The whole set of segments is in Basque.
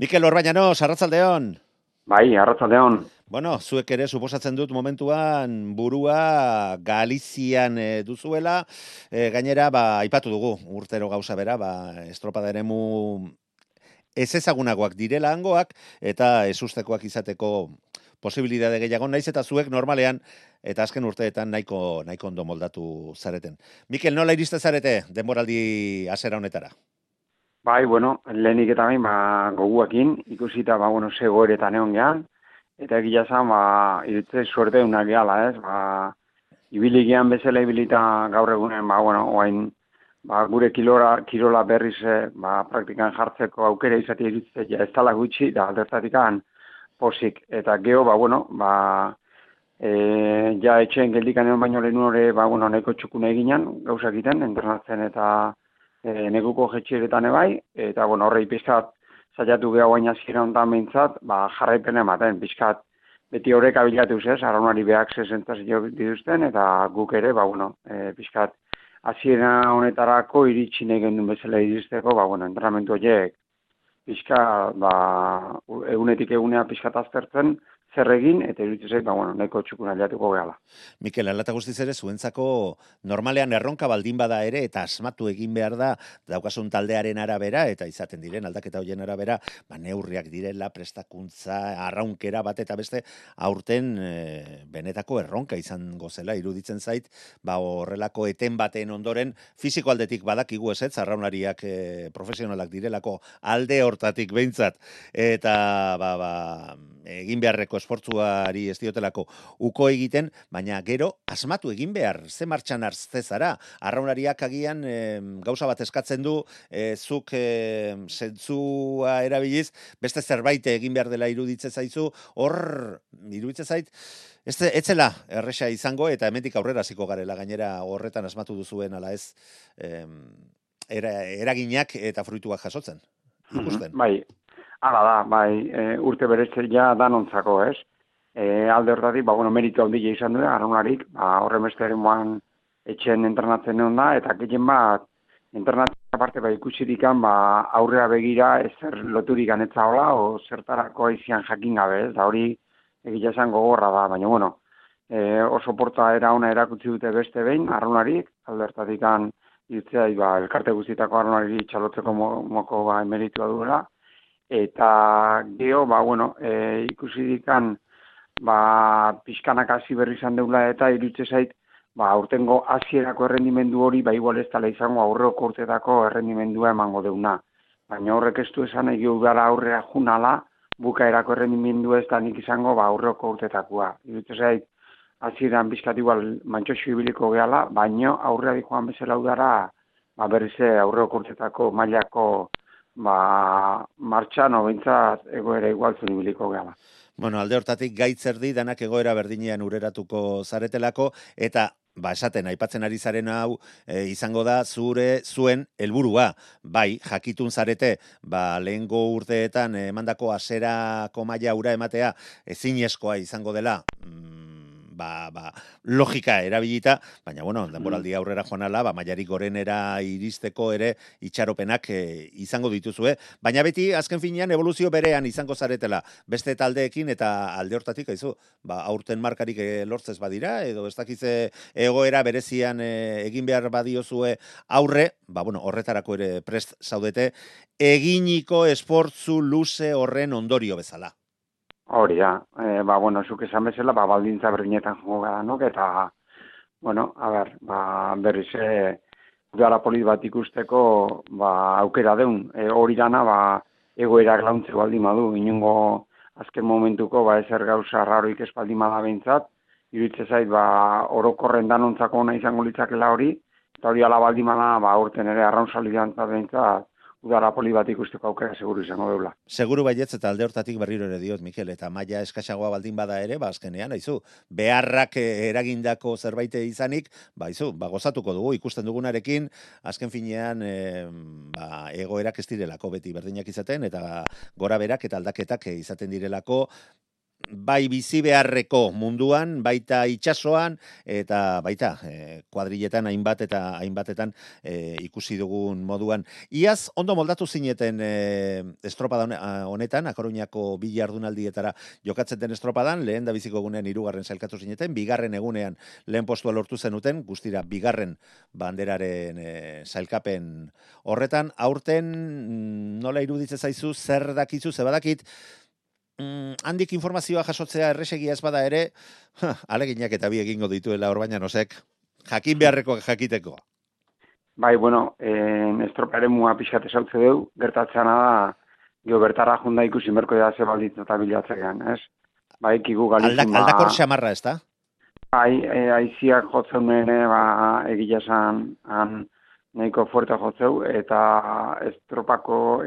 Mikel Orbañanos, arratsaldeon. Bai, arratsaldeon. Bueno, zuek ere suposatzen dut momentuan burua Galizian duzuela, gainera aipatu dugu urtero gauza bera, estropada eremu ez ezagunagoak direla hangoak eta ezustekoak izateko posibilitate gehiago naiz eta zuek normalean eta azken urteetan nahiko ondo moldatu zareten. Mikel, nola iriste zarete denboraldi hasiera honetara? Bai, bueno, lehenik eta bain, goguakin, ikusita, ze goeretan egon gehan, eta egia zan, iritze suerte unak gehala, ez, ibili gehan bezala ibilita gaur egunen, oain, gure kirola berriz, praktikan jartzeko aukera izatea iritze, ja, ez tala gutxi, da aldertatikan posik, eta geho, ja, etxeen geldikan egon baino lehenu hori, nahiko txukune eginan, gauzak egiten, entrenatzen eta neguko jetxeretan ebai, eta horrei pizkat saiatu geha guain azkira honetan behintzat, jarraipen ematen, pizkat beti horrek abilatu zez, araunari behak zezentzazio dituzten, eta guk ere, pizkat azkira honetarako iritsi nahi gendun bezala iristeko, entrenamentu horiek pizkat, egunetik egunea pizkat aztertzen, zer egin, eta iruditzen zait, nahiko txukuna liatuko gehala. Mikel, alata guztiz ere, zuentzako normalean erronka baldin bada ere, eta asmatu egin behar da, daukasun taldearen arabera, eta izaten diren, aldaketa hoien arabera, neurriak direla, prestakuntza, arraunkera bat eta beste, aurten benetako erronka izango zela, iruditzen zait, horrelako eten baten ondoren, fisiko aldetik badakigu ezetz, arraunariak profesionalak direlako alde hortatik behintzat, eta egin beharreko esfortzuari ez diotelako uko egiten, baina gero asmatu egin behar, ze martxan hartze zara. Arraunariak agian gauza bat eskatzen du, zuk zentzua erabiliz, beste zerbait egin behar dela iruditzen zaizu, hor iruditzen zait, ez zela erresa izango, eta hemendik aurrera hasiko garela, gainera horretan asmatu duzuen ala ez eraginak eta fruituak jasotzen. Ikusten. Bai, hala da, urte beretzea danontzako, ez? Alde hortatik, meritu handia izan du, araunarik, horren beste eremuan etxen entrenatzen egon da, eta gehien bat, entrenatzen aparte ikusirikan, aurrera begira ezer loturik anetza hola, o zertarako aizian jakin gabe, ez? Da hori egia esan gogorra da, baina oso porta era ona erakutsi dute beste behin, araunarik, alde hortatik irutzea, elkarte guztietako arraunari txalotzeko moko emeritua duela, eta geho, ikusi dikan, pixkanak hasi berri izan deula, eta irutze zait, aurtengo hasierako errendimendu hori, igual ez tala izango aurreko urtetako errendimendua emango deuna. Baina horrek ez du esan egio udara aurrea junala, bukaerako errendimendu ez da nik izango aurreko urtetakoa. Irutze zait, hasieran pixkat igual mantxoxo ibiliko gehala, baina aurrea joan bezala udara, berriz aurreko urtetako mailako martxan, behintzat egoera igualtzun ibiliko gehala. Bueno, alde hortatik gaitzerdi danak egoera berdinean ureratuko zaretelako, eta esaten, aipatzen ari zaren hau, izango da zuen helburua. Bai, jakitun zarete, lehengo urteetan emandako haserako maila ura ematea ezinezkoa izango dela, logika erabilita, baina denboraldi aurrera joan ala, mailarik gorenera iristeko ere itxaropenak izango dituzue, baina beti azken finean evoluzio berean izango zaretela beste taldeekin, eta alde hortatik haizu, aurten markarik lortzez badira, edo ez dakize egoera berezian egin behar badiozue aurre, horretarako ere prest zaudete, eginiko esportzu luze horren ondorio bezala. Hori da, zuk esan bezala, baldintza berdinetan jongo gara nok, eta, berriz, udara polit bat ikusteko, aukera deun. Hori dana, egoerak launtze baldin badu, inungo azken momentuko, ezer gauza raroik ez baldin bada behintzat, iruditze zait, orokorren danontzako ona izango litzakela hori, eta hori ala baldin bada, urten ere arraun salidan behintzat, udara poli bat ikusteko aukera seguru izango deula. Seguru baietz, eta alde hortatik berriro ere diot, Mikel, eta maila eskasagoa baldin bada ere, azkenean, haizu, beharrak eragindako zerbait izanik, gozatuko dugu, ikusten dugunarekin, azken finean, egoerak ez direlako beti berdinak izaten, eta gora berak eta aldaketak izaten direlako, bai bizi beharreko munduan, baita itsasoan eta baita kuadriletan hainbatetan ikusi dugun moduan. Iaz ondo moldatu zineten estropada honetan, A Coruñako bi jardunaldietara jokatzen den estropadan, lehen da biziko egunean 3. sailkatu zineten, 2. egunean lehen postua lortu zenuten, guztira 2. banderaren sailkapen horretan. Aurten nola iruditzen zaizu, zer dakizu, ze badakit, handik informazioa jasotzea erresegia ez bada ere, aleginak eta bi egingo dituela Orbañanosek, jakin beharreko jakiteko. Bai, bueno, estroparen mua pixkat esautze deu, gertatzena da, geho bertara junda ikusi merko da ze balditza eta bilatzean, ez? Bai, kigu galizun, Aldakor xamarra, ez da? Bai, aiziak jotzen nene, egila esan, nahiko fuerte jotzeu, eta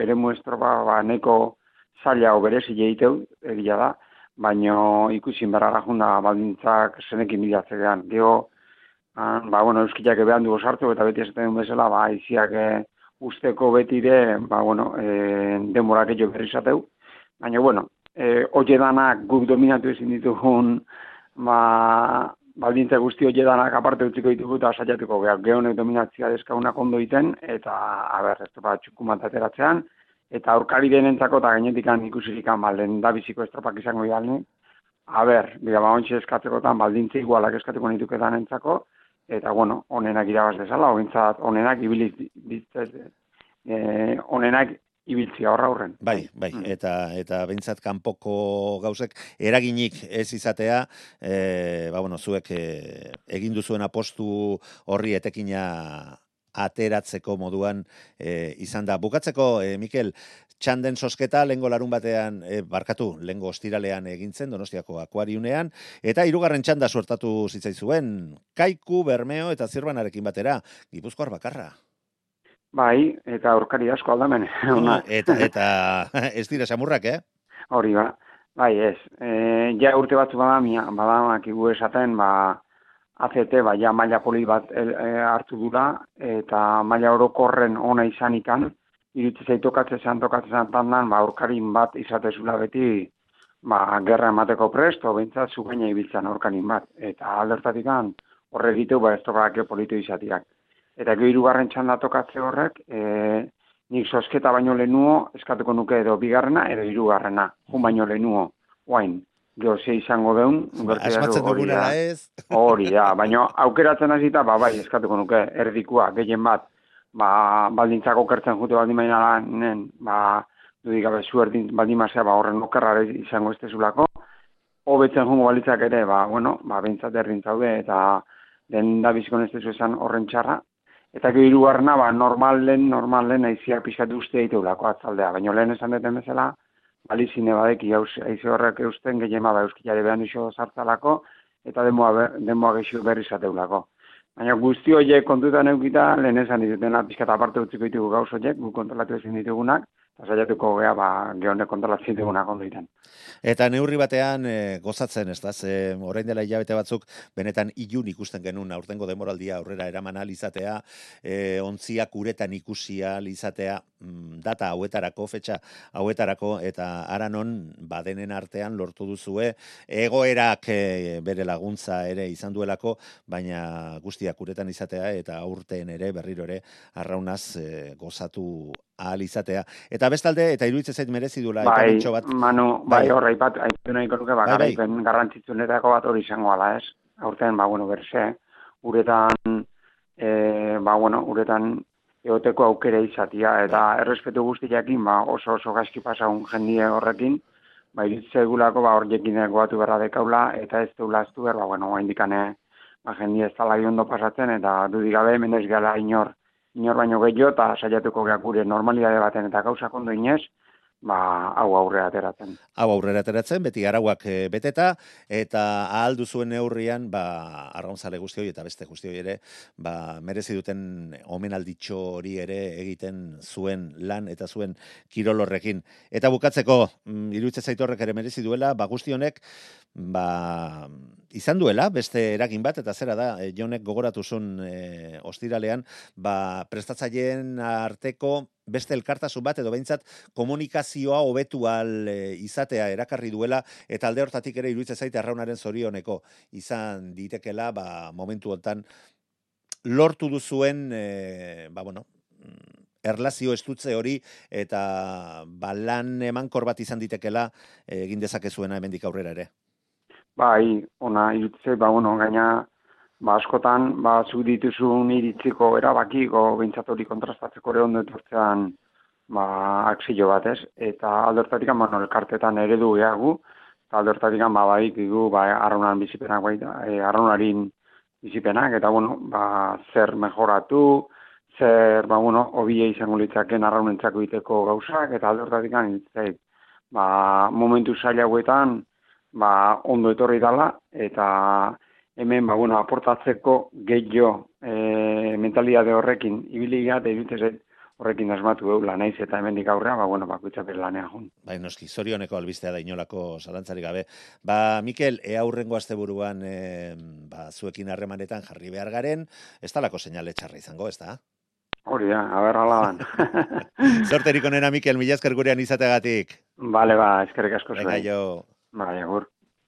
eremu estropa, nahiko zaila berezi egiteu, egia da, baina ikusin berara junda baldintzak zenekin bilatzean. Geho, euskilak ebehan dugu sartu, eta beti esaten duen bezala, aiziak usteko betire, denborak egio berri zateu. Baina, oie danak guk dominatu ezin ditugun, baldintza guzti hori danak aparte utziko ditugu eta saiatuko gehonek dominatzia deskaunak ondo iten, eta, ez da, txukumat ateratzean, eta aurkari denentzako eta gainetikan ikusirikan lehen da biziko estropak izango idalni. Ontsi eskatzekotan baldintza igualak eskatuko nituketan entzako, eta, onenak irabaz dezala, onenak ibiltzia horren. Bai, eta bentsat kanpoko gauzek eraginik ez izatea, zuek egin duzuen apostu horri etekina ateratzeko moduan izan da. Bukatzeko, Mikel, txanden sosketa lehengo larun batean, lehengo ostiralean egintzen, Donostiako akuariunean, eta 3. txanda suertatu zitzaizuen, Kaiku, Bermeo eta Zirbanarekin batera, Gipuzkoar bakarra. Bai, eta aurkari asko aldamen. Eta ez dira samurrak, Hori ba. Bai, ez. Ja urte batzu badamak igu esaten, ACT, ja maila poli bat hartu dura, eta maila orokorren ona izanikan, irutze zaitokatzen tandan, aurkarin bat izatezula beti, gerra emateko prest, o bintzat zugaina ibiltzen aurkarin bat. Eta aldertatikan horre egiteu, estropak politu izatiak. Eta gero 3. txanda tokatze horrek, nik sosketa baino lehenuo, eskatuko nuke edo 2. edo 3. Jun baino lehenuo, oain, gero ze izango deun. Asmatzen duguna ez. Hori da, baina aukeratzen hasita, bai, eskatuko nuke, erdikua, gehien bat, baldintzako kertzen jute baldin bainanen, dudik gabe zu erdin baldin mazea, horren okerrare izango ez tezulako, hobetzen jungo balitzak ere, behintzat erdin zaude, eta den da bizikon ez tezu esan horren txarra. Eta gero 3. normalen aiziak pixkatu uste egiteulako atzaldea. Baina lehen esan deten bezala, balizine badeki aizi horrek eusten gehien euskilare behan iso sartzalako, eta demoa gexio berri zateulako. Baina guzti horiek kontutan eukita, lehen esan ditutena pixkata aparte utziko ditugu gauz horiek, gu kontrolatu ezin ditugunak, eta saiatuko gehonek kontrolatzen ditugunak ondo iten. Eta neurri batean gozatzen, ez da, orain dela hilabete batzuk, benetan ilun ikusten genuen aurtengo demoraldia aurrera eraman izatea, ontziak uretan ikusia izatea, data hauetarako, fetxa hauetarako, eta aranon badenen artean lortu duzue, egoerak bere laguntza ere izan duelako, baina guztiak uretan izatea, eta aurten ere, berriro ere, arraunaz gozatu ahal izatea. Eta bestalde, eta iruditzen zait merezi duela, eta betxo bat. Horra, aipu nahiko nuke, garaipen garrantzitsunetako bat hori izango ala, ez? Aurten, berse, uretan, uretan egoteko aukera izatia, eta errespetu guztiakin, oso gaizki pasagun jendie horrekin, iruditzen egulako, horiekin goatu berra dekaula, eta ez deula aztu behar, indikane, jendie ez tala ondo pasatzen, eta dudigabe, mendez gala inor baino gehiago, eta saiatuko gure normalidade baten, eta gauzak ondo inez, hau aurrera ateratzen. Hau aurrera ateratzen, beti arauak beteta, eta ahal duzuen neurrian, arraunzale guzti hori, eta beste guzti hori ere, merezi duten omenalditxo hori ere egiten zuen lan eta zuen kirolorrekin. Eta bukatzeko, iruditzen zaitu horrek ere merezi duela, guzti honek, izan duela, beste eragin bat, eta zera da, Jonek gogoratu zuen ostiralean, prestatzaileen arteko beste elkartasun bat edo behintzat komunikazioa hobetu al izatea erakarri duela eta alde hortatik ere iruditzen zait Arraunaren zorioneko izan ditekela momentu hontan lortu duzuen erlazio estutze hori eta lan emankor bat izan ditekela egin dezakezuena hemendik aurrera ere. Bai, ona iruditzen, gaina askotan, zuk dituzun iritziko erabakiko behintzat hori kontrastatzeko ere ondo etortzean akzio bat, ez? Eta aldortatik, elkartetan eredu gehagu, eta aldortatik, badikigu, arraunan bizipenak, arraunarin bizipenak, eta, zer mejoratu, zer, hobie izango litzaken arraunentzako iteko gauzak, eta aldortatik, momentu zaila hauetan, ondo etorri dala, eta hemen, aportatzeko gehiago mentalidade horrekin ibili eta iruditzen horrekin asmatu eula naiz eta hemendik aurrea, bakoitza bere lanean jun. Bai, noski, zorioneko albistea da inolako zalantzarik gabe. Mikel, aurrengo asteburuan zuekin harremanetan jarri behar garen, ez talako seinale txarra izango, ez da? Hori da, haber alaban. Zorterik onena, Mikel, mila esker gurean izateagatik. Bale, eskerrik asko zuen. Venga, jo. Bai, agur.